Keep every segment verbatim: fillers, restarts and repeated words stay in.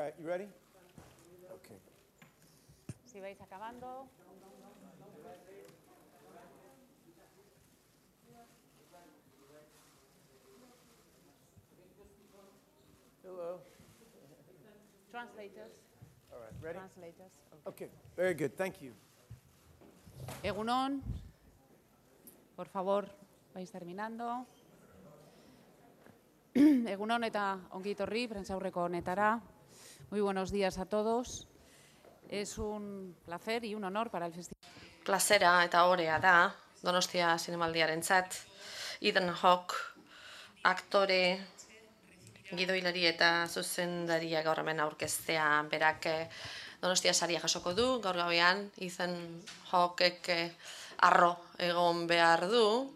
right, you ready? Okay. Si vais acabando. Hello. Translators. All right, ready? Translators. Okay, very good, thank you. Egunon. Por favor, vais terminando. Egunon eta ongi etorri, prentsaurreko honetara. Muy buenos días a todos. Es un placer y un honor para el festival. Plazera eta orea da, Donostia Zinemaldiarentzat. Ethan Hawke, aktore, gidoilari eta zuzendaria gaur hemen aurkeztea, berak Donostia saria jasoko du, gaur gauean Ethan Hawkek arro egon behar du,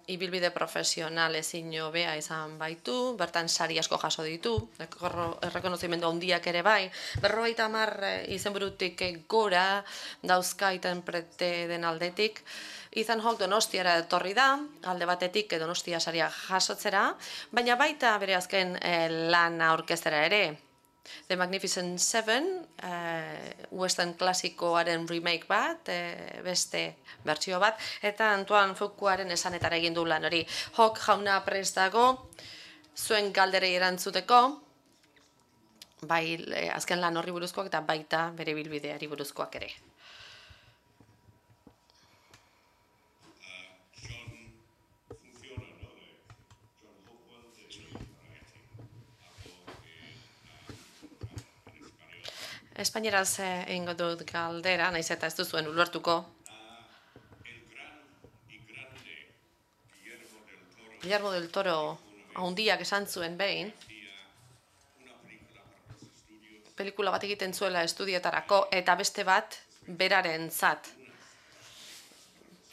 ibilbide profesional ezin hobea izan baitu, bertan sari asko jaso ditu, errekonozimendu handiak ere bai, berrogeita hamar izenburutik gora dauzka interprete den aldetik. Ethan Hawke Donostiara etorri da, alde batetik Donostia saria jasotzera, baina baita bere azken lana aurkeztera ere. The Magnificent Seven, western klasikoaren remake bat, beste bertsio bat, eta Antoine Fuquaren esanetara egin du lan hori. Hawke jauna prest dago, zuen galderei erantzuteko, bai azken lan horri buruzkoak eta baita bere bilbideari buruzkoak ere. Espainieraz egingo dut galdera, naiz eta ez duzuen ulertuko. Guillermo del Toro handiak esan zuen behin, pelikula bat egiten zuela estudioetarako eta beste bat berarentzat.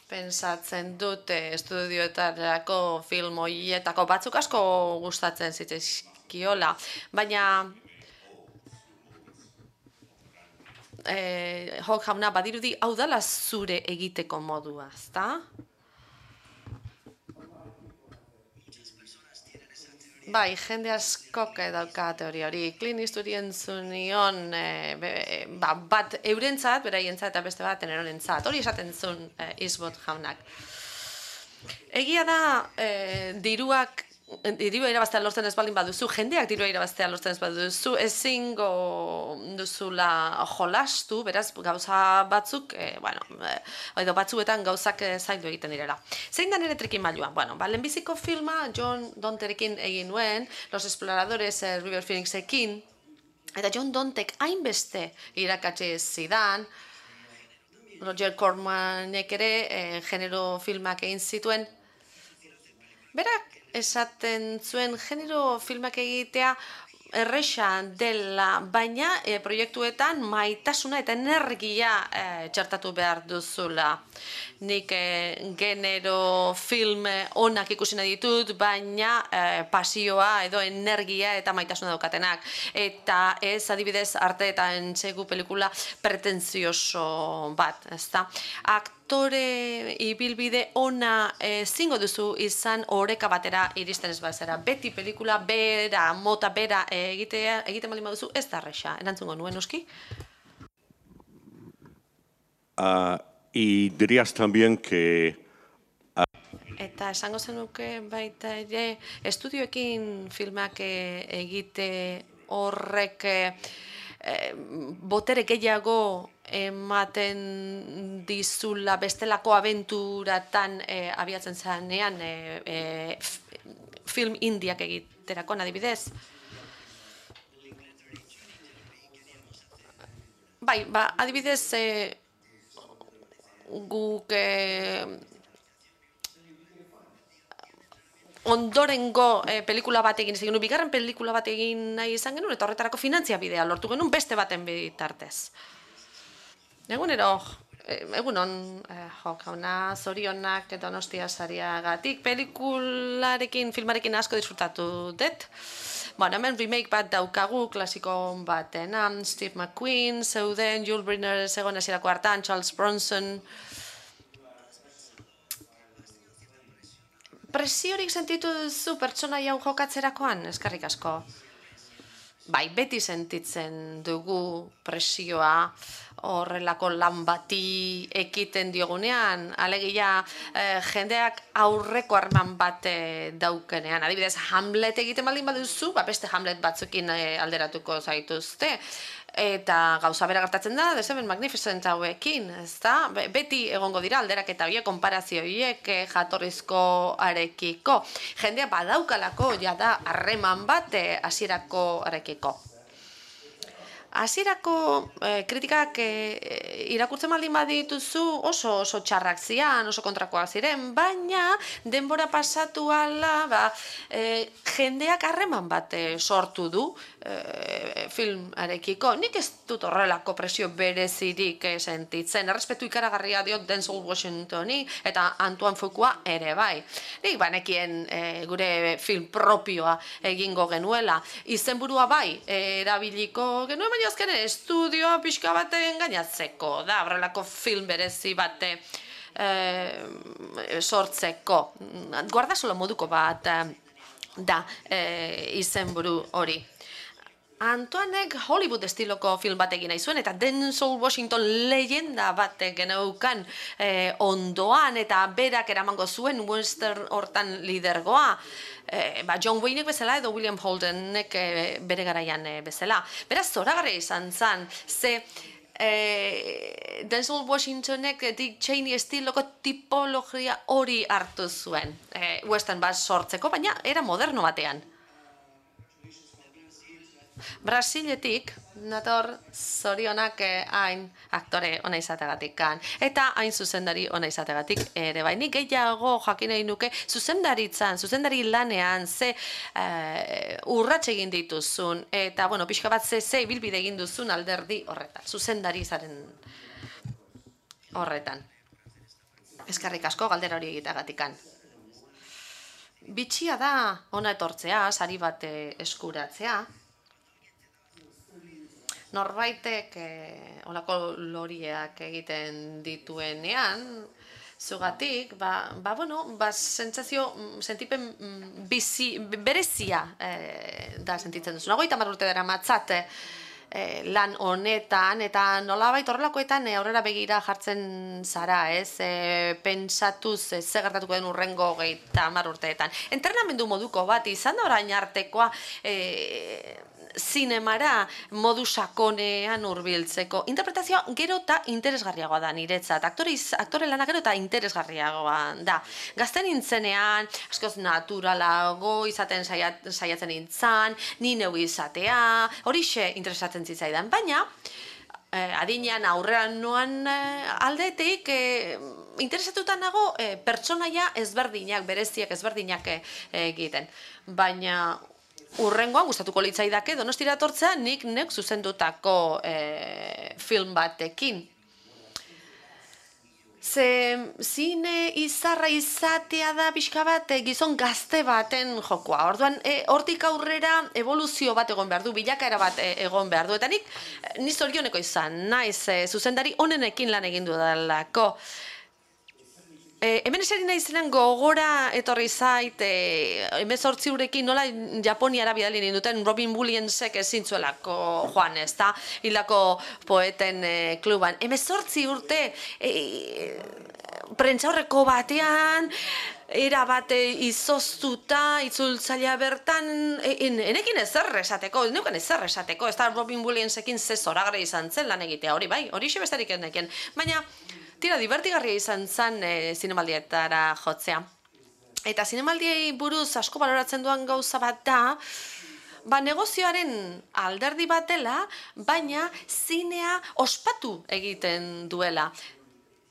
Pentsatzen dut estudioetarako film horietako batzuk asko gustatzen zitzaizkiola, baina Hawke jauna badirudi hau dela zure egiteko modua, ezta? Bai, jende askok dauka teoria hori. Clint Eastwoodi entzun nion bat eurentzat, beraientzat eta beste bat nerorentzat. Hori esaten zuen Eastwood jaunak. Egia da diruak dirua irabaztea lortzen ez baldin baduzu, jendeak dirua irabaztea lortzen ez baduzu, ezingo duzula jolastu, beraz gauza batzuk, bueno, edo batzuetan gauzak zaildu egiten direla. Zein da nire trikimailua? Bueno, lehenbiziko filma John Donterekin egin nuen, Los Exploradores River Phoenixekin, eta John Dontek hainbeste irakatsi zidan, Roger Cormanek ere genero filmak egin zituen, berak esaten zuen genero filmak egitea erresa dela, baina proiektuetan maitasuna eta energia txertatu behar duzula. Nik genero film onak ikusi nahi ditut, baina pasioa edo energia eta maitasuna daukatenak. Eta ez adibidez arte eta entsegu pelikula pretentzioso bat, ezta? Aktore ibilbide ona zingo duzu izan oreka batera iristen ez bazera. Beti pelikula bera, mota bera egiten baldin baduzu, ez da erresa. Erantzungo nuen, noski? Y dirías también que... Eta esango zenuke baita ere, estudioekin filmak egite horrek botere gehiago ematen dizula bestelako abenturatan abiatzen zanean film indiak egiterako, adibidez? Bai, ba, adibidez, guk ondorengo pelikula bat egin izan genuen, bigarren pelikula bat egin nahi izan genuen, eta horretarako finantzia bidea lortu genuen beste baten bitartez. Egunero, egunon, Hawke jauna, zorionak Donostia sariagatik, pelikularekin, filmarekin asko disfrutatu dut. Bueno, hemen remake bat daukagu, klasiko batena, Steve McQueen, zeuden, Yul Brynner zegoen hasierako hartan, Charles Bronson. Presiorik sentitu duzu pertsona hau jokatzerakoan, eskerrik asko. bai, beti sentitzen dugu presioa horrelako lan bati ekiten diogunean, alegia eh, jendeak aurreko harreman bat eh, daukenean. Adibidez, Hamlet egiten baldin baduzu, ba, beste Hamlet batzukin eh, alderatuko zaituzte. Eta gauza bera gertatzen da, The Seven Magnificent hauekin, ezta? Beti egongo dira alderaketa horiek, konparazio horiek eh, jatorrizko arekiko. Jendea badaukalako jada harreman bat eh, hasierako arekiko. Hasierako eh, kritikak eh, irakurtzen baldin badituzu oso oso txarrak zian, oso kontrakoak ziren, baina denbora pasatu ala, ba, eh, jendeak harreman bat eh, sortu du eh, filmarekiko. Nik ez dut horrelako presio berezirik eh, sentitzen. Errespetu ikaragarria diot Denzel Washingtoni eta Antoine Fuqua ere bai. Nik banekien eh, gure film propioa egingo genuela. Izenburua bai, eh, erabiliko genuen, baina azken estudioa pixka baten gainatzeko da, horrelako film berezi bate e, sortzeko. Guardasolo moduko bat da e, izenburu hori. Antoinek Hollywood estiloko film bat egin nahi zuen, eta Denzel Washington leyenda bat geneukan eh, ondoan, eta berak eramango zuen western hortan lidergoa. Eh, ba, John Waynek bezala edo William Holdenek eh, bere garaian eh, bezala. Beraz, zoragarria izan zen, ze eh, Denzel Washingtonek Dick Cheney estiloko tipologia hori hartu zuen. Eh, western bat sortzeko, baina era moderno batean. Brasiletik, nator zorionak hain aktore ona izategatik kan. Eta hain zuzendari ona izategatik ere bai. Nik gehiago jakin nahi nuke zuzendaritzan, zuzendari lanean, ze uh, urrats egin dituzun, eta, bueno, pixka bat ze, ze bilbide egin duzun alderdi horretan, zuzendari zaren horretan. Eskerrik asko galdera hori egiteagatik kan. Bitxia da ona etortzea, sari bat eskuratzea. Norbaitek eh, olako loriak egiten dituenean, zugatik, ba, ba, bueno, ba, sentsazio, sentipen bizi, berezia eh, da sentitzen duzu. Nagoita hamar urte dara matzat eh, lan honetan, eta nolabait horrelakoetan eh, aurrera begira jartzen zara, ez? Eh, pentsatuz eh, ze gertatuko den urrengo geita hamar urteetan. Entrenamendu moduko bat izan da orain artekoa, eh, zinemara modu sakonean hurbiltzeko. Interpretazioa gero eta interesgarriagoa da niretzat. Aktoriz, aktore lana gero eta interesgarriagoa da. Gazten nintzenean, askoz naturalago izaten saiat, saiatzen nintzen, ni neu izatea, horixe interesatzen zitzaidan. Baina, eh, adinean aurrean noan eh, aldetik, eh, interesatutan nago eh, pertsonaia ezberdinak, bereziak ezberdinak eh, egiten. Baina, urrengoan gustatuko litzaidake Donostira etortzea nik nek zuzendutako e, film batekin. Ze zine izarra izatea da pixka bat e, gizon gazte baten jokoa. Orduan, e, hortik aurrera evoluzio bat egon behar du, bilakaera bat e, egon behar du. Eta nik, ni zorioneko izan, naiz e, zuzendari onenekin lan egin dudalako. E, hemen eseri nahi zenen gogora etorri zait, e, hemezortzi urekin nola Japoniara bidali ninduten Robin Williamsek ezintzuelako joan, ez da, hilako poeten e, kluban. Hemezortzi urte e, prentsaurreko batean, era bat izoztuta, itzultzailea bertan, enekin ezer esateko, neuken ezer esateko, ez da Robin Williamsekin ze zoragarria izan zen lan egitea, hori bai, hori besterik eneken, baina, tira, divertigarria izan zen e, zinemaldietara jotzea. Eta zinemaldiei buruz asko baloratzen duan gauza bat da, ba, negozioaren alderdi bat dela, baina zinea ospatu egiten duela.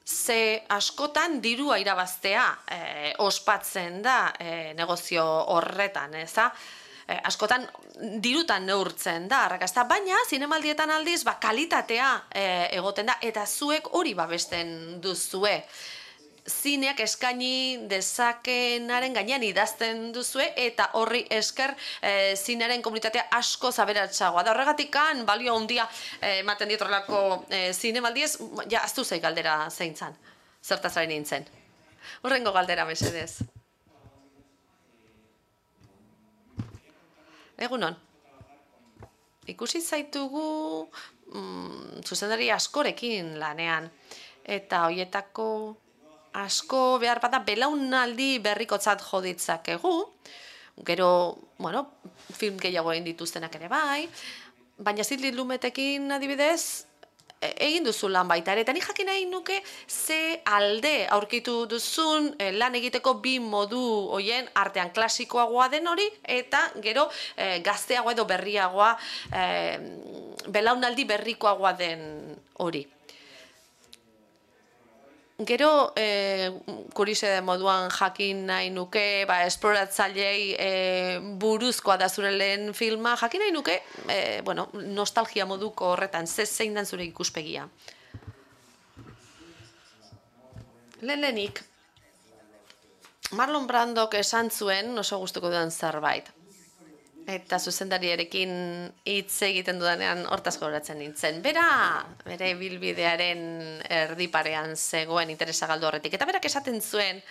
Ze askotan dirua irabaztea e, ospatzen da e, negozio horretan, ez da? Eh, askotan dirutan neurtzen da arrakasta, baina zinemaldietan aldiz ba, kalitatea eh, egoten da, eta zuek hori babesten duzue. Zineak eskaini dezakenaren gainean idazten duzue, eta horri esker eh, zinearen komunitatea asko zaberatsagoa da. Horregatikan balio handia eh, ematen diet horrelako eh, zinemaldiez, ja, aztu zei galdera zeintzan, zertaz ari nintzen. Horrengo galdera mesedez. Egunon. ikusi zaitugu mm, zuzendari askorekin lanean. Eta hoietako asko behar bada belaunaldi berrikotzat jo ditzakegu. Gero, bueno, film gehiago egin dituztenak ere bai. Baina Sidney Lumetekin adibidez, egin duzu lan baita ere, eta nik jakin nahi nuke ze alde aurkitu duzun eh, lan egiteko bi modu hoien artean klasikoagoa den hori, eta gero eh, gazteagoa edo berriagoa, eh, belaunaldi berrikoagoa den hori. Gero, eh, kurise moduan jakin nahi nuke, ba, esploratzailei eh, buruzkoa da zure lehen filma, jakin nahi nuke, eh, bueno, nostalgia moduko horretan, ze zein dan zure ikuspegia. Lehen lehenik, Marlon Brandok esan zuen oso gustuko duen zerbait. Eta zuzendariarekin hitz egiten dudanean hortaz gogoratzen nintzen. Bera, bere bilbidearen erdiparean zegoen interesa galdu horretik. Eta berak esaten zuen,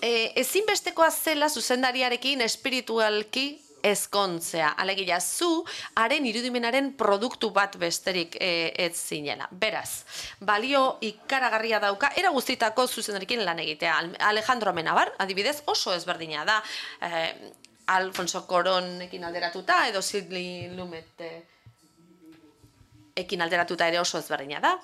e, ezinbestekoa zela zuzendariarekin espiritualki ezkontzea. Alegia, zu haren irudimenaren produktu bat besterik e, ez zinela. Beraz, balio ikaragarria dauka, era guztitako zuzendarekin lan egitea. Alejandro Amenabar, adibidez, oso ezberdina da. Eh, Alfonso Cuarónekin alderatuta, edo Sidney Lumet ekin alderatuta ere oso ezberdina da.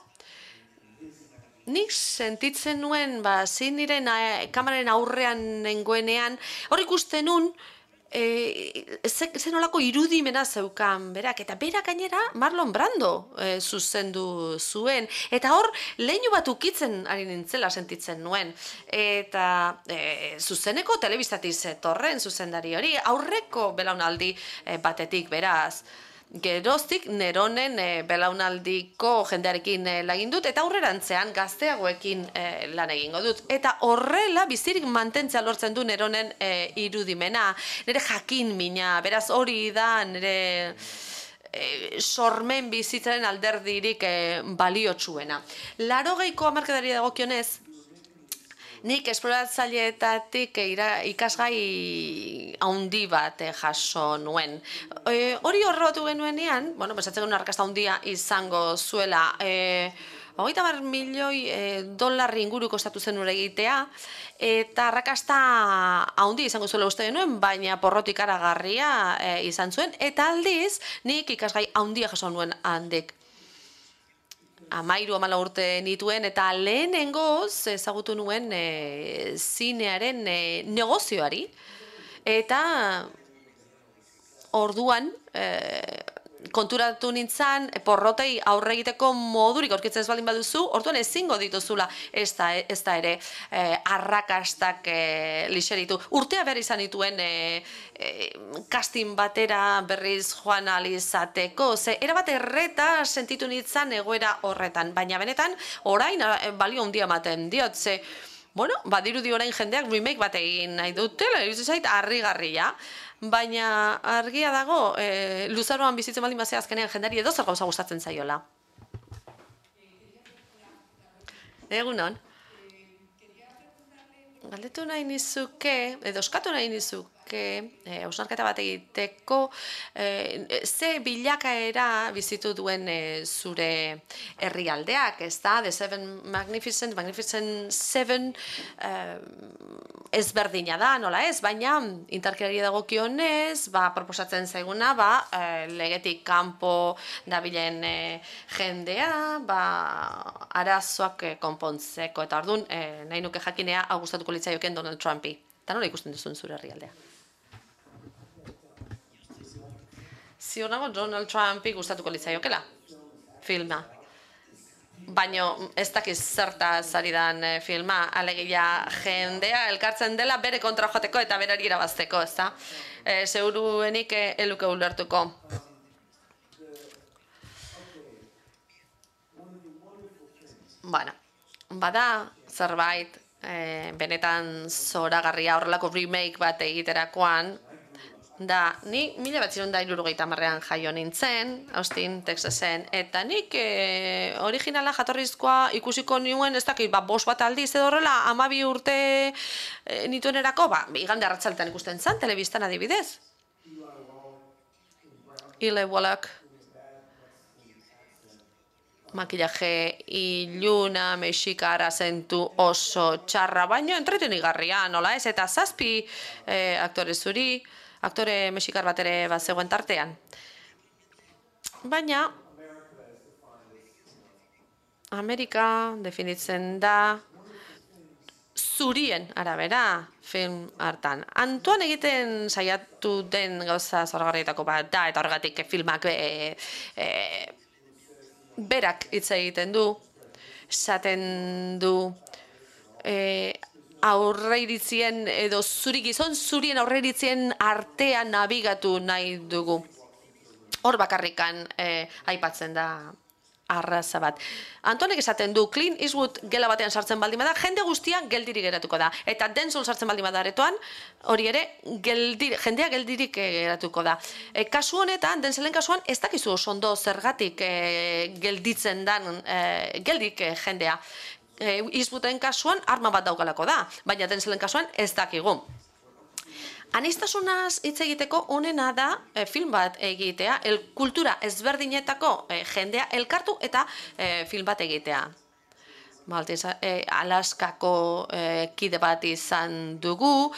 Nik sentitzen nuen, ba, Sidneyren kameraren aurrean nengoenean, hor ikusten nun, E, zen olako irudimena zeukan berak, eta berak gainera Marlon Brando e, zuzendu zuen, eta hor leinu bat ukitzen ari nintzela sentitzen nuen, eta e, zuzeneko telebistatik zetorren zuzendari hori, aurreko belaunaldi e, batetik beraz. Geroztik neronen e, belaunaldiko jendearekin e, lagin dut, eta aurrerantzean gazteagoekin e, lan egingo dut. Eta horrela bizirik mantentzea lortzen du neronen e, irudimena, nire jakin mina, beraz hori da nire e, sormen bizitzaren alderdirik e, baliotsuena. Larogeiko hamarkadari dagokionez, nik esploratzaileetatik ikasgai haundi bat jaso nuen. E, hori horrebatu genuenean, bueno, besatzen genuen arrakasta haundia izango zuela, e, hogeita hamar milioi e, dolarri inguru kostatu zen ura egitea, eta arrakasta haundi izango zuela uste genuen, baina porrotik ikaragarria e, izan zuen, eta aldiz nik ikasgai haundia jaso nuen handik. Amairu amala urte nituen, eta lehenengoz ezagutu nuen e, zinearen e, negozioari, eta orduan e, konturatu nintzen porrotei aurre egiteko modurik aurkitzen ez baldin baduzu, orduan ezingo dituzula ez da, ez da ere e, arrakastak e, lixeritu. Urtea behar izan dituen e, e, casting batera berriz joan alizateko, ze erabat erreta sentitu nintzen egoera horretan, baina benetan orain balio handia ematen diot, ze bueno, badirudi orain jendeak remake bat egin nahi dutela, iruditzen zait harrigarria. Baina argia dago, e, luzaroan bizitzen baldin bazea azkenean jendari edo zer gauza gustatzen zaiola. Egunon. Galdetu nahi nizuke, edo eskatu nahi nizuke, hausnarketa bat egiteko, e, ze bilakaera bizitu duen e, zure herrialdeak, ez da? The Seven Magnificent, Magnificent Seven, e, ezberdina da, nola ez, baina indarkeriari dagokionez, ba, proposatzen zaiguna, ba, e, legetik kanpo dabilen e, jendea, ba, arazoak e, konpontzeko, eta orduan, e, nahi nuke jakinea, hau gustatuko litzaioken Donald Trumpi. Eta nola ikusten duzun zure herrialdea? Ziur nago Donald Trumpi gustatuko litzaiokela filma. Baina ez dakiz zertaz ari dan filma, alegia jendea elkartzen dela bere kontra joateko eta berari irabazteko, ez da? E, Seguruenik eluke ulertuko. Bueno, bada zerbait, e, benetan zoragarria horrelako remake bat egiterakoan, da, ni mila bat ziren da hirurogeita hamarrean jaio nintzen, Austin, Texasen, eta nik e, originala jatorrizkoa ikusiko nuen, ez dakit, ba, bost bat aldiz edo horrela, hamabi urte e, nituenerako, ba, igande arratzaldetan ikusten zen, telebistan adibidez. Ile Wallach, makillaje iluna, mexikara zentu oso txarra, baino entretenigarria, nola ez, eta zazpi eh, aktore zuri, aktore mexikar bat ere bat zegoen tartean. Baina, Amerika definitzen da zurien arabera film hartan. Antoan egiten saiatu den gauza zoragarrietako bat da, eta horregatik filmak e, e, berak hitz egiten du, esaten du e, aurreiritzien edo zuri gizon zurien aurreiritzien artean nabigatu nahi dugu. Hor bakarrikan e, aipatzen da arraza bat. Antonek esaten du, Clint Eastwood gela batean sartzen baldin bada, jende guztia geldirik geratuko da. Eta Denzel sartzen baldin bada aretoan, hori ere, geldir, jendea geldirik geratuko da. E, kasu honetan, Denzelen kasuan, ez dakizu oso ondo zergatik e, gelditzen dan, e, geldik e, jendea. E, Eastwooden kasuan, arma bat daukalako da, baina Denzelen kasuan ez dakigu. Anistasunaz hitz egiteko onena da e, film bat egitea, el kultura ezberdinetako e, jendea elkartu eta e, film bat egitea. Maltiz, e, Alaskako e, kide bat izan dugu,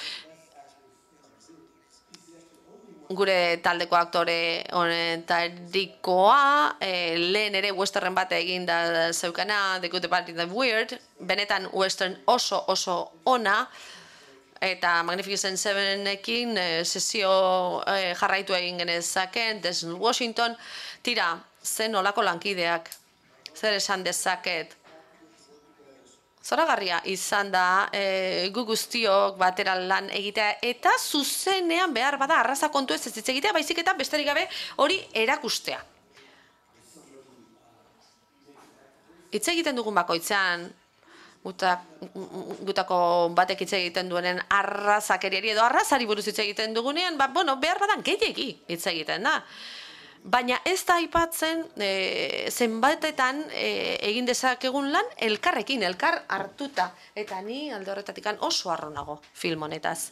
gure taldeko aktore honetarikoa, e, lehen ere westernen bat egin da zeukana, The Good, The Bad, The Weird, benetan western oso oso ona, eta Magnificent Sevenekin e, sesio e, jarraitu egin genezaken, Denzel Washington, tira, zen olako lankideak, zer esan dezaket. Zoragarria izan da e, gu guztiok batera lan egitea, eta zuzenean behar bada arraza kontu ez ez hitz egitea, baizik eta besterik gabe hori erakustea. Hitz egiten dugun bakoitzean, gutako batek hitz egiten duenen arrazakeriari edo arrazari buruz hitz egiten dugunean, ba, bueno, behar badan gehiegi hitz egiten da. Baina ez da aipatzen e, zenbatetan e, egin dezakegun lan elkarrekin, elkar hartuta. Eta ni alde horretatik oso harro nago film honetaz.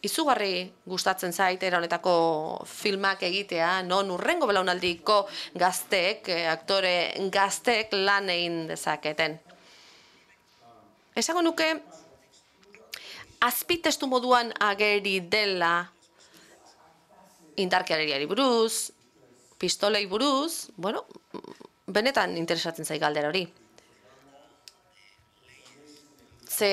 Izugarri gustatzen zait era honetako filmak egitea, non hurrengo belaunaldiko gazteek, aktore gazteek lan egin dezaketen. Esango nuke, azpitestu moduan ageri dela indarkeriari buruz, pistolei buruz, bueno, benetan interesatzen zai galdera hori. Ze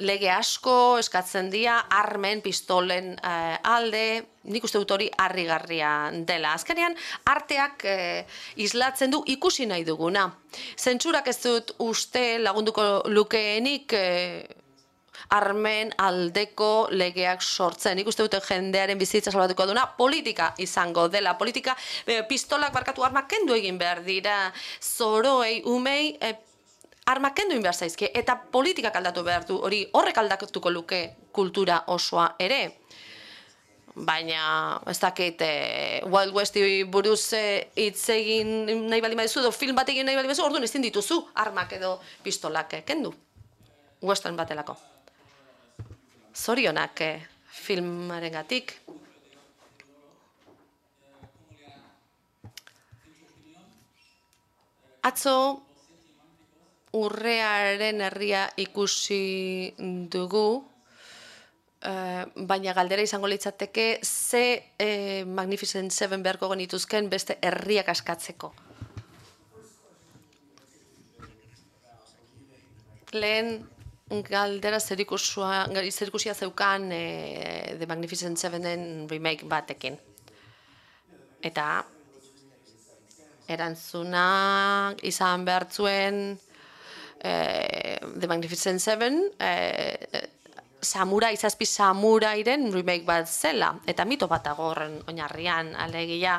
lege asko eskatzen dira armen, pistolen eh, alde, nik uste dut hori harrigarria dela. Azkenean, arteak eh, islatzen du ikusi nahi duguna. Zentsurak ez dut uste lagunduko lukeenik eh, armen aldeko legeak sortzen. Nik uste dute jendearen bizitza salbatuko duna politika izango dela. Politika, eh, pistolak barkatu armak kendu egin behar dira, zoroei, umei, eh, armak kendu egin behar zaizkie, eta politikak aldatu behar du, hori horrek aldatuko luke kultura osoa ere. Baina, ez dakit, eh, Wild Westi buruz hitz eh, egin nahi baldin baduzu, edo film bat egin nahi baldin baduzu, orduan ezin dituzu armak edo pistolak eh, kendu. Western batelako. Zorionak eh, filmarengatik. Atzo, Urrearen herria ikusi dugu, eh, baina galdera izango litzateke ze eh, Magnificent Seven beharko genituzken beste herriak askatzeko. Lehen galdera zerikusia zeukan eh, The Magnificent Sevenen remake batekin. Eta erantzuna izan behar zuen Eh, The Magnificent Seven, eh, samurai, zazpi samurairen remake bat zela, eta mito bat dago horren oinarrian, alegia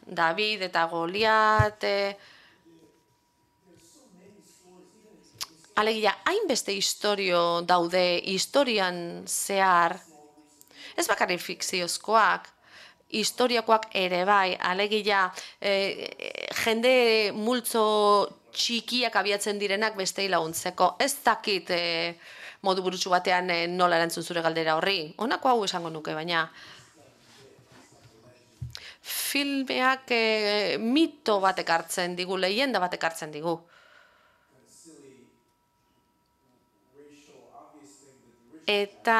David eta Goliat, eh, alegia hainbeste historio daude historian zehar, ez bakarrik fikziozkoak, historiakoak ere bai, alegia eh, jende multzo txikiak abiatzen direnak bestei laguntzeko. Ez dakit eh, modu burutsu batean eh, nola erantzun zure galdera horri. Honako hau esango nuke, baina filmeak e, mito bat ekartzen digu, leyenda bat ekartzen digu. Eta,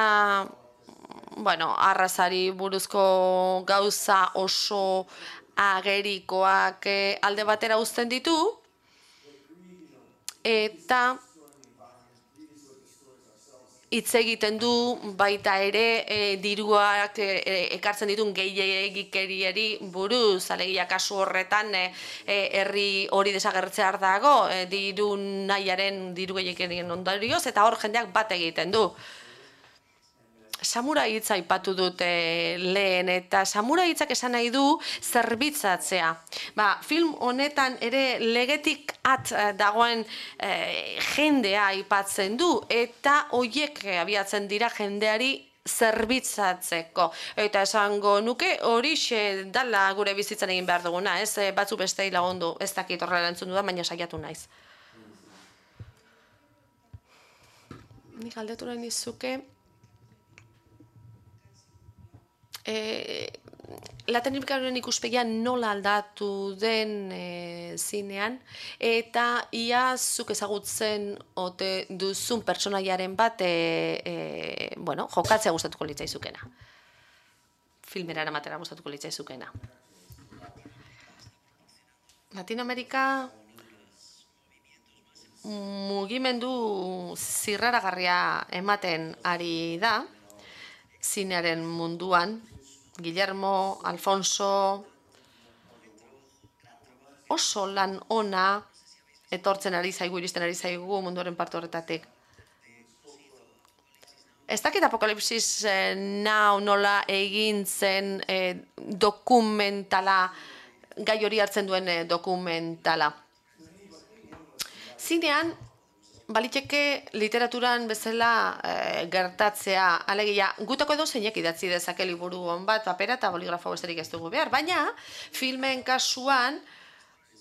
bueno, arrazari buruzko gauza oso agerikoak e, alde batera uzten ditu, eta hitz egiten du baita ere e, diruak e, ekartzen ditun gehiegikeriari buruz, alegia kasu horretan e, e, herri hori desagertzear dago, e, diru nahiaren diru gehiegikerien ondorioz, eta hor jendeak bat egiten du. Samurai hitza aipatu dute lehen, eta samurai hitzak esan nahi du zerbitzatzea. Ba, film honetan ere legetik at dagoen e, jendea aipatzen du, eta hoiek abiatzen dira jendeari zerbitzatzeko. Eta esango nuke horixe dala gure bizitzan egin behar duguna, ez? Batzu bestei lagundu, ez dakit horrela entzun dudan, baina saiatu naiz. Nik galdetu nahi nizuke, E, Latinoamerikaren ikuspegia nola aldatu den e, zinean, eta ia zuk ezagutzen ote duzun pertsonaiaren bat e, e, bueno, jokatzea gustatuko litzaizukena. Filmera eramatera gustatuko litzaizukena. Latinoamerika mugimendu zirraragarria ematen ari da zinearen munduan. Guillermo, Alfonso, oso lan ona etortzen ari zaigu, iristen ari zaigu munduaren parte horretatik. Ez dakit Apokalipsis eh, Now nola egin zen eh, dokumentala, gai hori hartzen duen eh, dokumentala. Zinean, baliteke literaturan bezala e, gertatzea, alegia, gutako edo zeinek idatzi dezake liburu hon bat, papera eta boligrafo besterik ez dugu behar, baina filmen kasuan,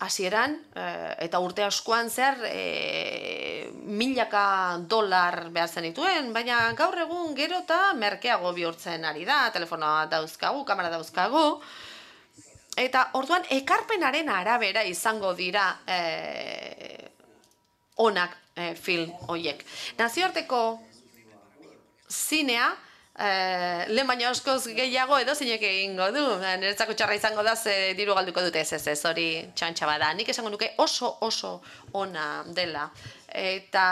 hasieran e, eta urte askoan zer e, milaka dolar behar zen dituen, baina gaur egun gero eta merkeago bihurtzen ari da, telefonoa dauzkagu, kamera dauzkagu, eta orduan ekarpenaren arabera izango dira e, onak e, film horiek. Nazioarteko zinea, e, lehen baina askoz gehiago edo zinek egingo du. Niretzako txarra izango da, ze diru galduko dute ez ez ez, hori txantxa bada. Nik esango nuke oso oso ona dela. Eta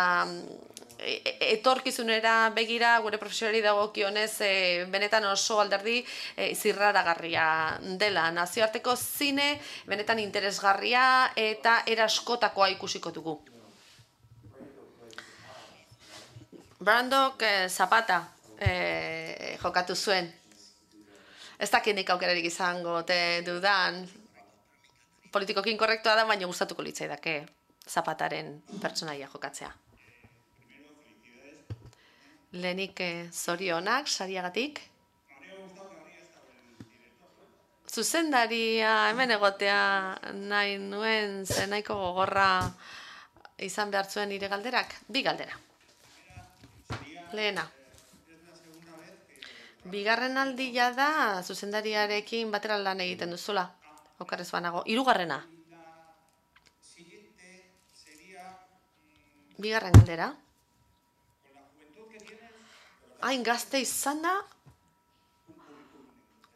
e, etorkizunera begira, gure profesionari dagokionez, e, benetan oso alderdi e, zirraragarria dela. Nazioarteko zine, benetan interesgarria eta eraskotakoa ikusiko dugu. Brandok eh, Zapata eh, jokatu zuen. Ez dakit nik aukerarik izango te dudan. Politikokin korrektua da, baina gustatuko litzaidake Zapataren pertsonaia jokatzea. Lehenik eh, zorionak, sariagatik. Zuzendaria hemen egotea nahi nuen, ze nahiko gogorra izan behar zuen nire galderak. Bi galdera. Lehena. Bigarren aldia da zuzendariarekin batera lan egiten duzula. Okarrez banago. Hirugarrena. Bigarren galdera. Hain gazte izan da,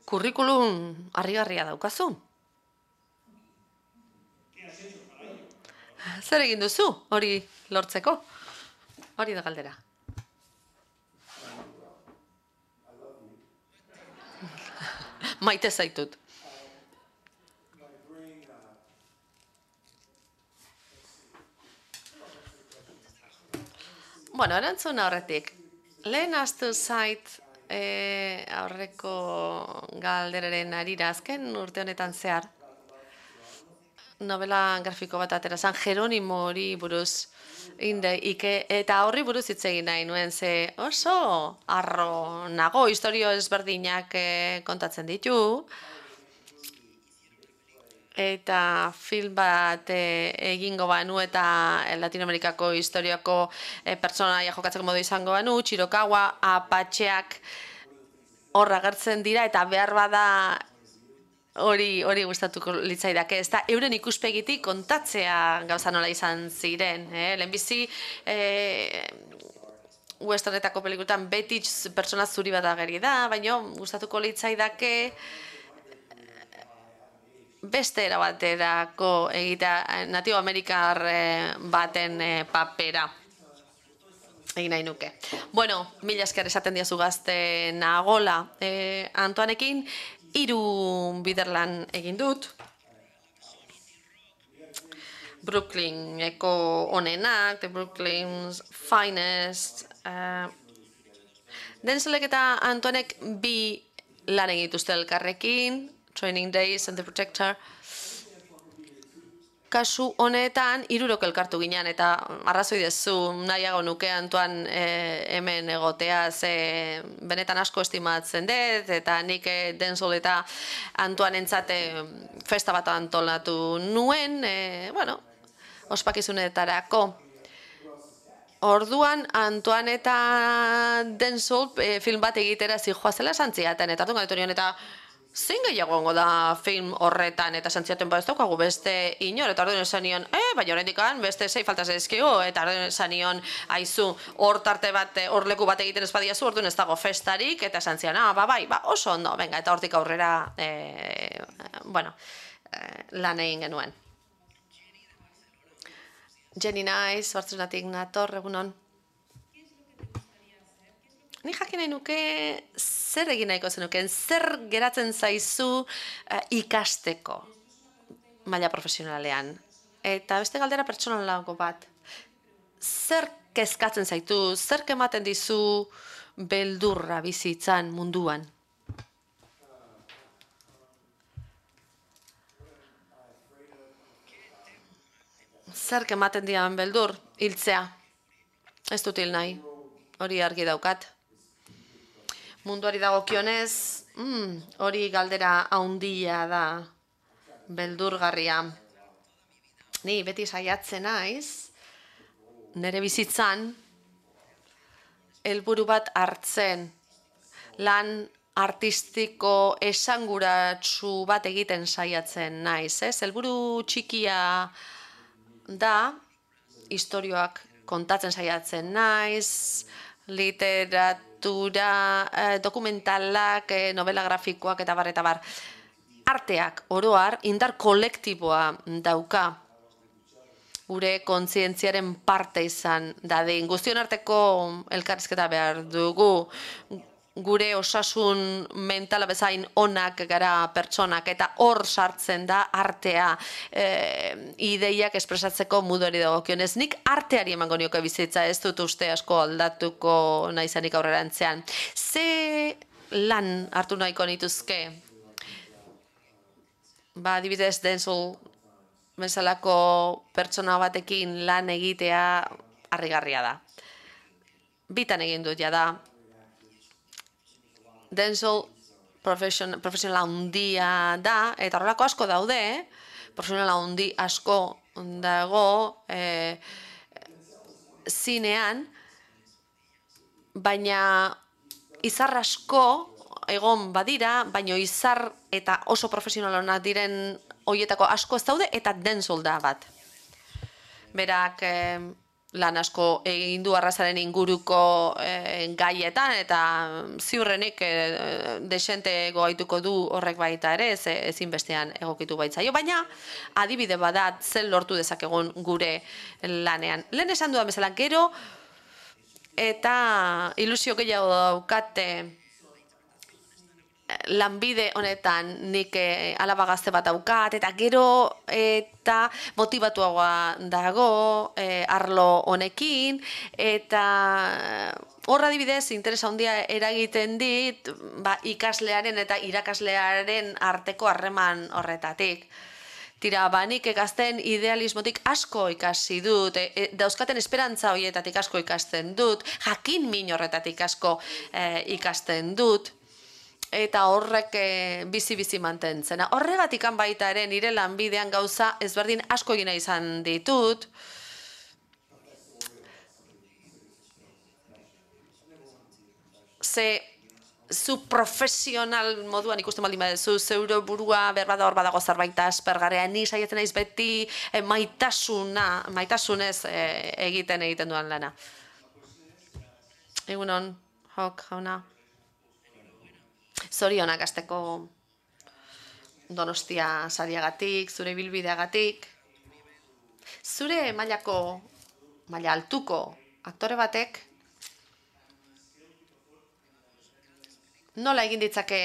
kurrikulum harrigarria daukazu. Zer egin duzu hori lortzeko? Hori da galdera. Maite zaitut. Bueno, erantzun horretik. Lehen astu zait e, aurreko galderaren arira azken urte honetan zehar. Novela grafiko bat atera zan, Jeronimo hori buruz. Inde, ike, eta horri buruz hitz egin nahi nuen, ze oso arro nago, historio ezberdinak e, kontatzen ditu. Eta film bat e, egingo banu eta Latinoamerikako historiako e, pertsonaia jokatzeko modu izango banu, Txirokawa, Apatxeak horra agertzen dira, eta behar bada hori hori gustatuko litzaidake. Ez da, euren ikuspegitik kontatzea gauza nola izan ziren. Eh? Lehenbizi, eh, westernetako pelikutan beti pertsona zuri bat ageri da, baina gustatuko litzaidake beste era baterako egitea Natibo Amerikar baten papera egin nahi nuke. Bueno, mila esker esaten diazu gazte nagola eh, Antoanekin, hiru biderlan egin dut. Brooklyneko onenak, The Brooklyn's Finest. Uh, Denzelek eta Antoanek bi lan egituzte elkarrekin, Training Days and The Protector. Kasu honetan, hirurok elkartu ginen, eta arrazoi dezu nahiago nuke Antoan e, hemen egotea, ze benetan asko estimatzen dut, eta nik e, Denzel eta Antoan entzate festa bat antolatu nuen, e, bueno, ospakizunetarako. Orduan, Antoan eta Denzel e, film bat egitera zijoazela santziaten, eta orduan gaitu nion, eta zein gehiago ongo da film horretan, eta santziaten ba ez daukagu beste inor, eta orduan esan nion, eh, baina horrendik beste sei faltaz ezkigu, eta orduan esan nion, aizu, hor tarte bat, hor leku bat egiten ez badiazu, orduan ez dago festarik, eta santzian, ah, ba, bai, ba, oso ondo, venga, eta hortik aurrera, eh, bueno, eh, lan egin genuen. Jenny Nice, Bartzelonatik nator, egunon. Ni jakin nahi nuke zer egin nahiko zenuken, zer geratzen zaizu uh, ikasteko maila profesionalean. Eta beste galdera pertsonalago bat. Zer kezkatzen zaitu, zer ematen dizu beldurra bizitzan munduan? Zer ematen dian beldur, hiltzea. Ez dut hil nahi, hori argi daukat. Munduari dagokionez, mm, hori galdera haundia da, beldurgarria. Ni beti saiatzen naiz, nire bizitzan, helburu bat hartzen, lan artistiko esanguratsu bat egiten saiatzen naiz. Ez? Helburu txikia da, istorioak kontatzen saiatzen naiz, literat, Eh, dokumentalak, eh, novela grafikoak eta bar eta bar. Arteak, oroar, indar kolektiboa dauka. Gure kontzientziaren parte izan dadin. Guztion arteko elkarrizketa behar dugu. Gure osasun mentala bezain onak gara pertsonak, eta hor sartzen da artea, e, ideiak espresatzeko mudori dagokionez. Nik arteari emango nioke bizitza, ez dut uste asko aldatuko naizenik aurrerantzean. Ze lan hartu nahiko nituzke? Ba, adibidez, Denzel bezalako pertsona batekin lan egitea harrigarria da. Bitan egin dut jada. Denzel profesionala handia da, eta horrelako asko daude, eh? Profesionala handi asko dago eh, zinean, baina izar asko egon badira, baina izar eta oso profesionalonak diren horietako asko ez daude, eta Denzel da bat. Berak eh, lan asko egin du arrazaren inguruko e, gaietan, eta ziurrenik e, desente goaituko du horrek baita ere, ez ezinbestean egokitu baitzaio, baina adibide badat zen lortu dezakegun gure lanean. Lehen esan dudan bezala, gero eta ilusio gehiago daukate lanbide honetan nik alaba gazte bat daukat, eta gero eta motibatuagoa dago e, arlo honekin, eta horra adibidez interesa handia eragiten dit ba, ikaslearen eta irakaslearen arteko harreman horretatik. Tira, ba, nik gazten idealismotik asko ikasi dut, e, e, dauzkaten esperantza horietatik asko ikasten dut, jakin min horretatik asko e, ikasten dut, eta horrek bizi-bizi mantentzen. Horregatik baita ere nire lanbidean gauza ezberdin asko egina izan ditut. Ze zu profesional moduan ikusten baldin baduzu, zeure burua berbada hor badago zerbait aspergarria, ni saiatzen naiz beti eh, maitasuna, maitasunez eh, egiten egiten duan lana. Egunon, Hok, jauna. Zorionak hasteko Donostia sariagatik, zure bilbideagatik. Zure mailako, maila altuko aktore batek nola egin ditzake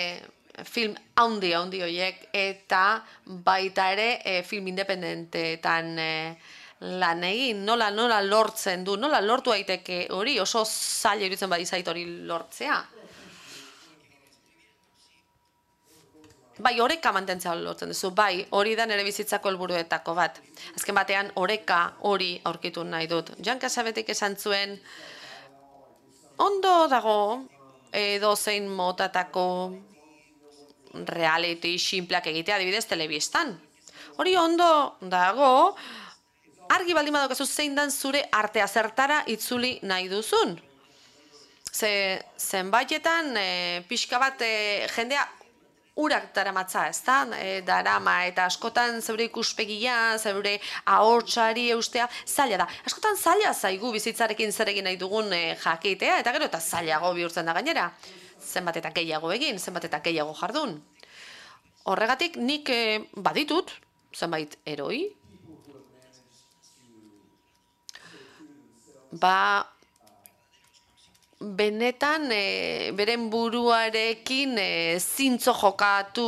film haundi haundi horiek eta baita ere e, film independenteetan e, lan egin, nola nola lortzen du, nola lortu daiteke hori, oso zaila iruditzen badizait hori lortzea. Bai, oreka mantentzea lortzen duzu, bai, hori da nire bizitzako helburuetako bat. Azken batean, oreka hori aurkitu nahi dut. Jan Casabetek esan zuen, ondo dago, edo zein motatako reality sinpleak egitea, adibidez, telebistan. Hori ondo dago, argi baldin badokazu zein dan zure artea zertara itzuli nahi duzun. Ze, zenbaitetan, e, pixka bat e, jendea urak daramatza, ez da? E, darama, eta askotan zeure ikuspegia, zeure ahotsari eustea, zaila da. Askotan zaila zaigu bizitzarekin zer egin nahi dugun e, jakitea, eta gero eta zailago bihurtzen da gainera. Zenbat eta gehiago egin, zenbat eta gehiago jardun. Horregatik nik e, baditut, zenbait eroi, ba, benetan e, beren buruarekin e, zintzo jokatu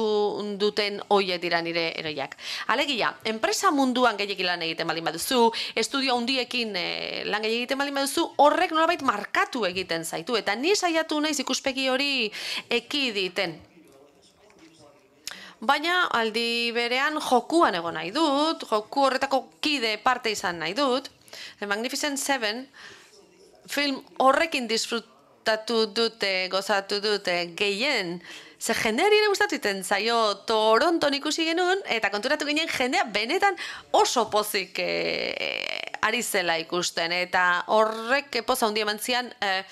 duten hoiek dira nire eroiak. Alegia, enpresa munduan gehiagin lan egiten baldin baduzu, estudio handiekin e, lan gehiagin egiten baldin baduzu, horrek nolabait markatu egiten zaitu, eta ni saiatu naiz ikuspegi hori ekiditen. Baina aldi berean jokuan egon nahi dut, joku horretako kide parte izan nahi dut. The Magnificent Seven film horrekin disfrutatu dute, gozatu dute gehien, ze jendeari ere gustatu iten zaio Toronton ikusi genuen, eta konturatu ginen jendea benetan oso pozik e, ari zela ikusten, eta horrek poza hundi eman zian, e,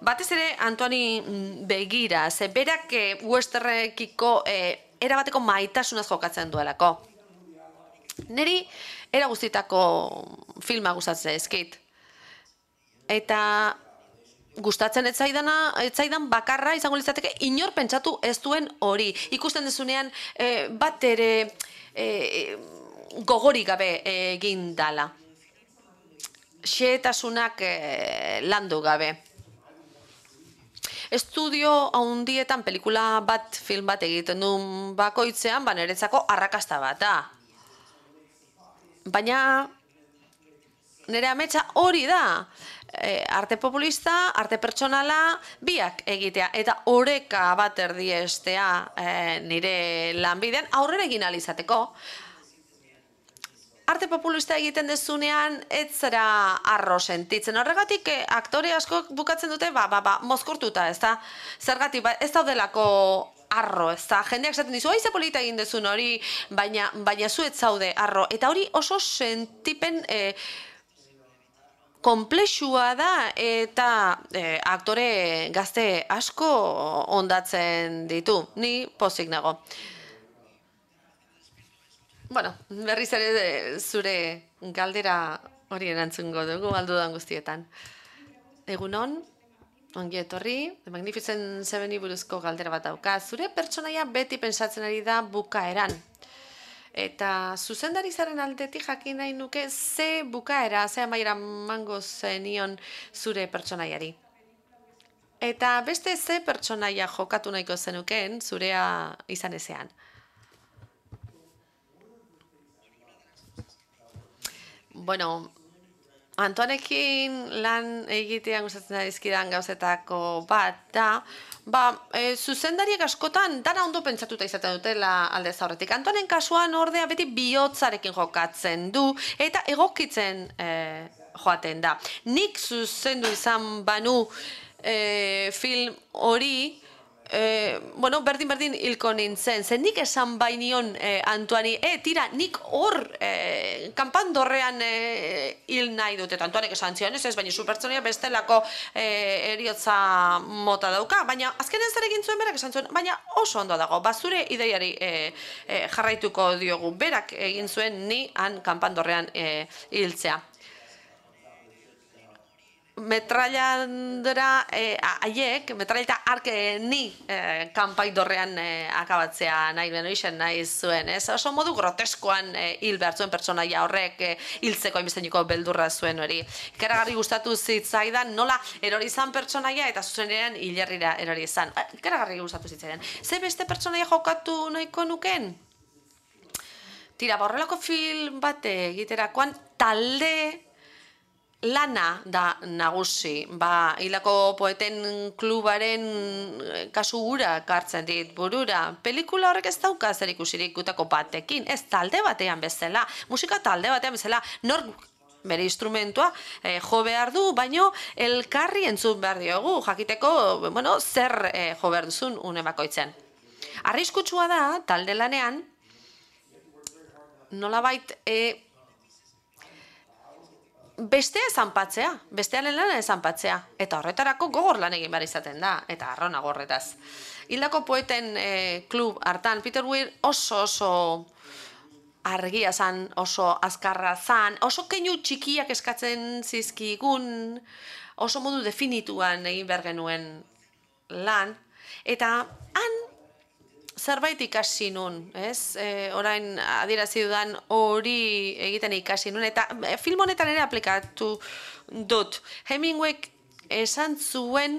batez ere Antoani begira, ze berak e, westerrekiko e, erabateko maitasunaz jokatzen duelako. Neri era guztitako filma gustatzen eskit. Eta gustatzen ez zaidana, ez zaidan bakarra izango litzateke inor pentsatu ez duen hori. Ikusten dezunean e, bat ere e, gogorik gabe egin dala. Xehetasunak e, landu gabe. Estudio handietan pelikula bat, film bat egiten duen bakoitzean, ba niretzako arrakasta bat da. Baina nire ametsa hori da. E, arte populista, arte pertsonala, biak egitea. Eta oreka bat erdiestea e, nire lanbidean aurrera egin alizateko. Arte populista egiten dezunean ez zera arro sentitzen. Horregatik e, aktore asko bukatzen dute, ba, ba, ba, mozkortuta, ez da? Zergatik, ba, ez daudelako arro, ez da? Jendeak esaten dizu, aize polita egin dezun hori, baina, baina zu ez zaude arro. Eta hori oso sentipen e, komplexua da eta e, aktore gazte asko ondatzen ditu. Ni pozik nago. Bueno, berriz ere zure galdera hori erantzungo dugu aldudan guztietan. Egunon, ongi etorri, The Magnificent Seveni buruzko galdera bat dauka. Zure pertsonaia beti pentsatzen ari da bukaeran. Eta zuzendari zaren aldetik jakin nahi nuke ze bukaera, ze amaiera mango zenion zure pertsonaiari. Eta beste ze pertsonaia jokatu nahiko zenukeen zurea izan ezean. Bueno, Antoanekin lan egitean gustatzen dizkidan gauzetako bat da, ba, e, zuzendariek askotan dana ondo pentsatuta izaten dutela alde zaurretik. Antoanen kasuan ordea beti bihotzarekin jokatzen du eta egokitzen e, joaten da. Nik zuzendu izan banu e, film hori, E, bueno, berdin-berdin hilko nintzen. Zen nik esan bainion e, Antuani, e, tira, nik hor e, kanpandorrean e, hil nahi dut. Eta Antuanek esan zion, ez ez, baina zu pertsonaia bestelako e, eriotza mota dauka. Baina azkenen zer egin zuen berak esan zuen, baina oso ondo dago. Bazure ideiari e, e, jarraituko diogu. Berak egin zuen ni han kanpandorrean e, hiltzea. Metralladora haiek, metralla eta arke ni eh, kanpai dorrean eh, akabatzea nahi beno isen nahi zuen, ez? Oso modu groteskoan eh, hil behar zuen pertsonaia horrek eh, hiltzeko hainbesteiniko beldurra zuen hori. Ikaragarri gustatu zitzaidan nola erori izan pertsonaia eta zuzenean hilerrira erori izan. Ikaragarri gustatu zitzaidan. Ze beste pertsonaia jokatu nahiko nuken? Tira, horrelako film bate egiterakoan talde lana da nagusi, ba, hilako poeten klubaren kasu hura kartzen dit burura. Pelikula horrek ez dauka zer ikusirik gutako batekin, ez talde batean bezala, musika talde batean bezala, nor bere instrumentua eh, jo behar du, baino elkarri entzun behar diogu, jakiteko, bueno, zer eh, jo behar duzun une bakoitzen. Arriskutsua da, talde lanean, nolabait, eh, bestea zanpatzea, bestearen lana zanpatzea. Eta horretarako gogor lan egin behar izaten da, eta arrona gorretaz. Hildako poeten e, klub hartan, Peter Weir oso oso argia zan, oso azkarra zan, oso keinu txikiak eskatzen zizkigun, oso modu definituan egin behar genuen lan, eta han zerbait ikasi nun, ez? E, orain adierazi dudan hori egiten ikasi nun, eta e, film honetan ere aplikatu dut. Hemingwayk esan zuen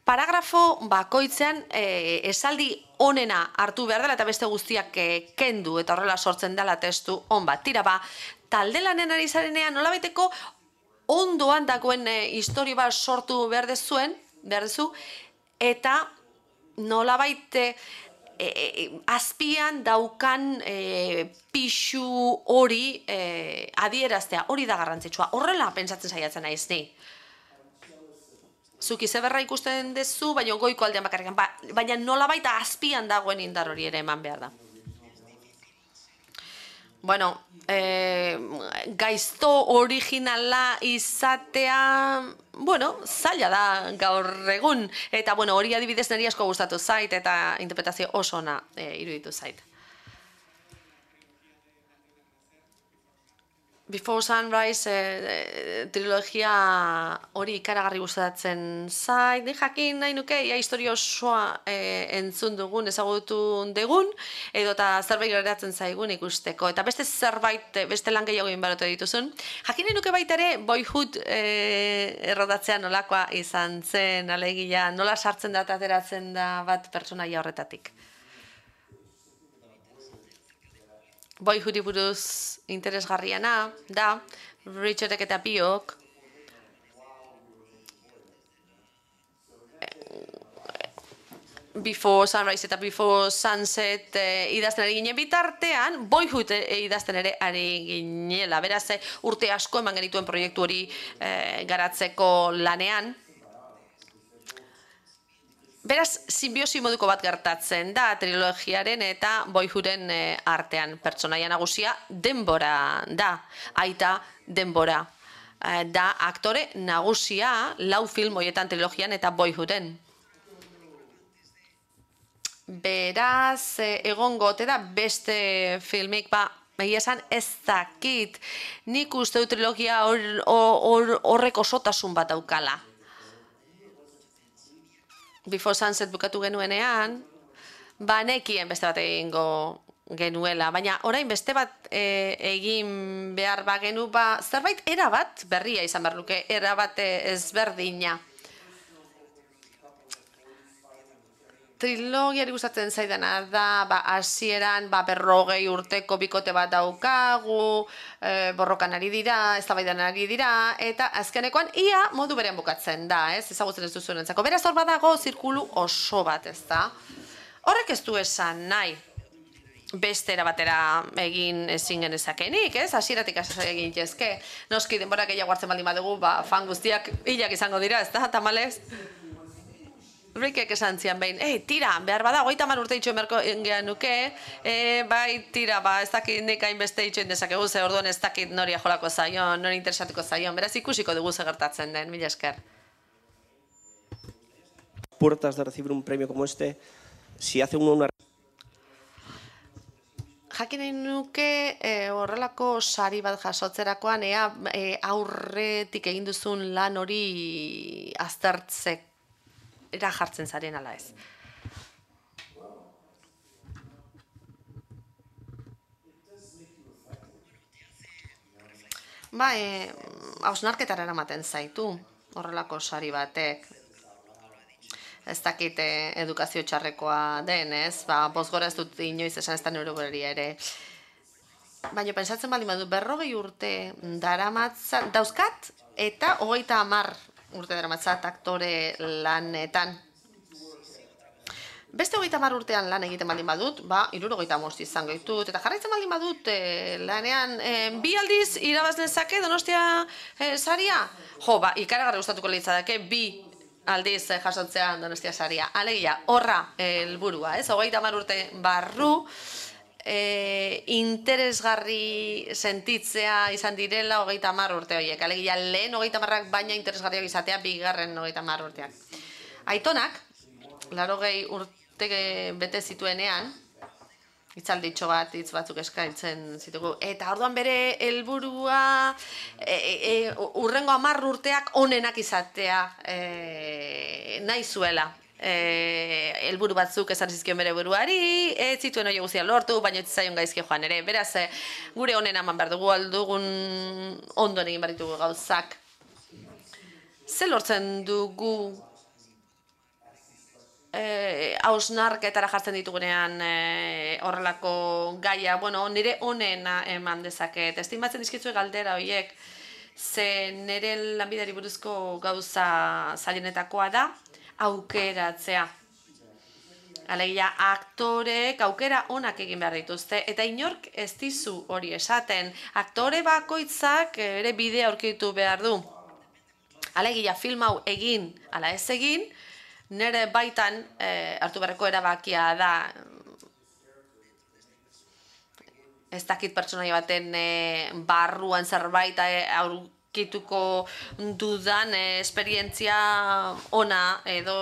paragrafo bakoitzean e, esaldi onena hartu behar dela eta beste guztiak e, kendu, eta horrela sortzen dela testu on bat. Tira ba, talde lanen ari zarenean nolabaiteko ondoan dagoen e, historia bat sortu behar dezuen, behar dezu, eta nolabait e, e, azpian daukan e, pixu hori e, adieraztea, hori da garrantzitsua. Horrela pentsatzen saiatzen naiz ni. Zuk izeberra ikusten dezu, baina goiko aldean bakarrikan, ba, baina nolabait azpian dagoen indar hori ere eman behar da. Bueno, eh, gaizto originala izatea, bueno, zaila da gaur egun. Eta, bueno, hori adibidez niri asko gustatu zait eta interpretazio oso ona eh, iruditu zait. Before Sunrise eh, trilogia hori ikaragarri gustatzen zait. Ni jakin nahi nuke, ia historia osoa eh, entzun dugun, ezagutu dugun, edo eta zerbait geratzen zaigun ikusteko. Eta beste zerbait, beste lan gehiago inbarotu dituzun. Jakin nahi nuke baita ere, Boyhood eh, errodatzea nolakoa izan zen, alegia, nola sartzen da eta ateratzen da bat pertsonaia horretatik. Boyhoodi buruz interesgarriana da, Richardek eta biok Before Sunrise eta Before Sunset eh, idazten ari ginen bitartean, Boyhood eh, idazten ere ari ginela. Beraz, eh, urte asko eman genituen proiektu hori eh, garatzeko lanean. Beraz, simbiosi moduko bat gertatzen da trilogiaren eta Boyhooden e, artean. Pertsonaia nagusia denbora da, aita denbora. E, da aktore nagusia lau film hoietan trilogian eta Boyhooden. Beraz, e, egongo ote da beste filmik, ba, egia esan ez dakit. Nik uste du trilogia horrek or, or, osotasun bat daukala. Before Sunset bukatu genuenean, ba nekien beste bat egingo genuela, baina orain beste bat e, egin behar bagenu, ba zerbait erabat berria izan behar luke, erabat ezberdina. Trilogiari gustatzen zaidana da, ba hasieran ba berrogei urteko bikote bat daukagu, e, borrokan ari dira, eztabaidan ari dira, eta azkenekoan ia modu berean bukatzen da, ez? Ezagutzen ez duzuenentzako. Beraz hor badago zirkulu oso bat, ez da? Horrek ez du esan nahi beste era batera egin ezin genezakenik, ez? Hasieratik hasi egin jezke. Noski denbora gehiago hartzen baldin badugu, ba fan guztiak hilak izango dira, ez da? Tamalez. Rikek esan zian behin, ei, tira, behar bada, hogeita hamar urte itxoen beharko gehan nuke, e, bai, tira, ba, ez dakit nik hainbeste itxoen dezakegu, ze orduan ez dakit nori ajolako zaion, nori interesatuko zaion, beraz ikusiko dugu ze gertatzen den, mila esker. Puertas de recibir un premio como este, si hace uno una... Jakin nahi nuke e, horrelako sari bat jasotzerakoan, ea e, aurretik egin duzun lan hori aztertzek era jartzen zaren ala ez. Ba, e, hausnarketara eramaten zaitu horrelako sari batek. Ez dakit eh, edukazio txarrekoa den, ez? Ba, bozgora ez dut inoiz esan ez da neuroberia ere. Baina pensatzen baldin badu berrogei urte daramatzat, dauzkat eta hogeita hamar urte daramatzat aktore lanetan. Beste hogeita hamar urtean lan egiten baldin badut, ba, hirurogeita hamabost izango ditut, eta jarraitzen baldin badut e, lanean e, bi aldiz irabaz lezake Donostia e, saria? Jo, ba, ikaragarri gustatuko litzateke bi aldiz e, jasotzea Donostia saria. Alegia, horra helburua, ez? Hogeita hamar urte barru, e, interesgarri sentitzea izan direla hogeita hamar urte horiek. Alegia, lehen hogeita hamarrak baina interesgarriak izatea bigarren hogeita hamar urteak. Aitonak, larogei urte bete zituenean, hitzalditxo bat, hitz batzuk eskaintzen zitugu, eta orduan bere helburua e, e, urrengo hamar urteak onenak izatea e, nahi zuela. E, helburu batzuk esan zizkion bere buruari, ez zituen hori guztia lortu, baina ez zaion gaizki joan ere. Beraz, e, gure onen eman behar dugu, aldugun ondoen egin behar ditugu gauzak. Ze lortzen dugu hausnarketara jartzen ditugunean horrelako gaia, bueno, nire onena eman dezaket. Estimatzen dizkitzue galdera horiek, ze nire lanbideari buruzko gauza zailenetakoa da, aukeratzea. Alegia, aktorek aukera onak egin behar dituzte, eta inork ez dizu hori esaten. Aktore bakoitzak ere bidea aurkitu behar du. Alegia, film hau egin, ala ez egin, nire baitan eh, hartu beharreko erabakia da, ez dakit pertsonaia baten eh, barruan zerbait eh, aurkituko dudan eh, esperientzia ona edo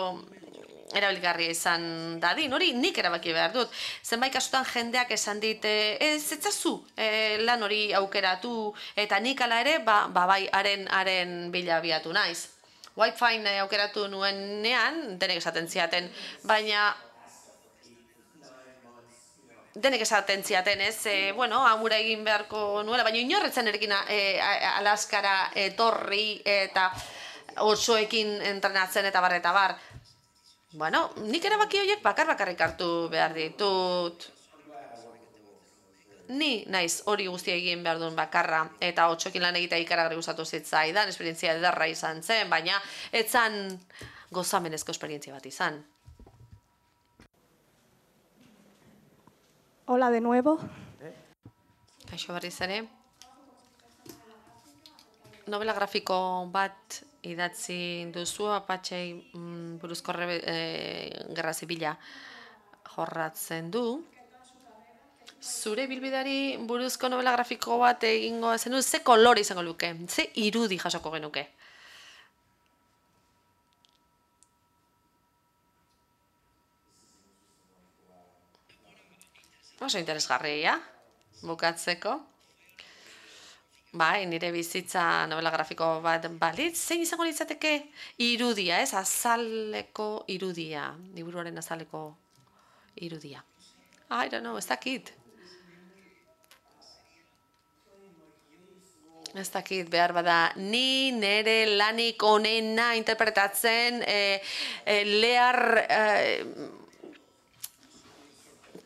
erabilgarria izan dadin. Hori nik erabaki behar dut. Zenbait kasutan jendeak esan dit, ez etzazu eh, lan hori aukeratu, eta nik ala ere, ba, ba bai, haren, haren bila biatu naiz. White Fine aukeratu nuenean, denek esaten ziaten, baina denek esaten ziaten, ez, e, bueno, amura egin beharko nuela, baina inorretzen erekin e, Alaskara etorri eta osoekin entrenatzen eta bar eta bar. Bueno, nik erabaki horiek bakar-bakarrik hartu behar ditut. Ni naiz hori guztia egin behar duen bakarra, eta otsokin lan egitea ikaragarri gustatu zitzaidan, esperientzia ederra izan zen, baina etzan gozamenezko esperientzia bat izan. Hola de nuevo. Kaixo berriz ere. Novela grafiko bat idatzi duzu, Apatxei mm, buruzko e, gerra zibila jorratzen du. Zure bilbidari buruzko novela grafiko bat egingo zenu, ze kolore izango luke, ze irudi jasoko genuke? Oso interesgarria, bukatzeko. Bai, nire bizitza novela grafiko bat balitz, zein izango litzateke irudia, ez? Azaleko irudia, liburuaren azaleko irudia. I don't know, ez dakit. Ez dakit, behar bada, ni nire lanik onena interpretatzen e, e, Lear, e,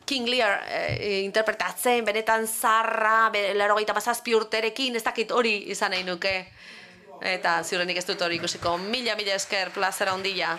King Lear e, interpretatzen, benetan zarra, laurogeita hamazazpi urterekin, ez dakit hori izan nahi nuke. Eta ziurrenik ez dut hori ikusiko. Mila, mila esker, plazera ondila.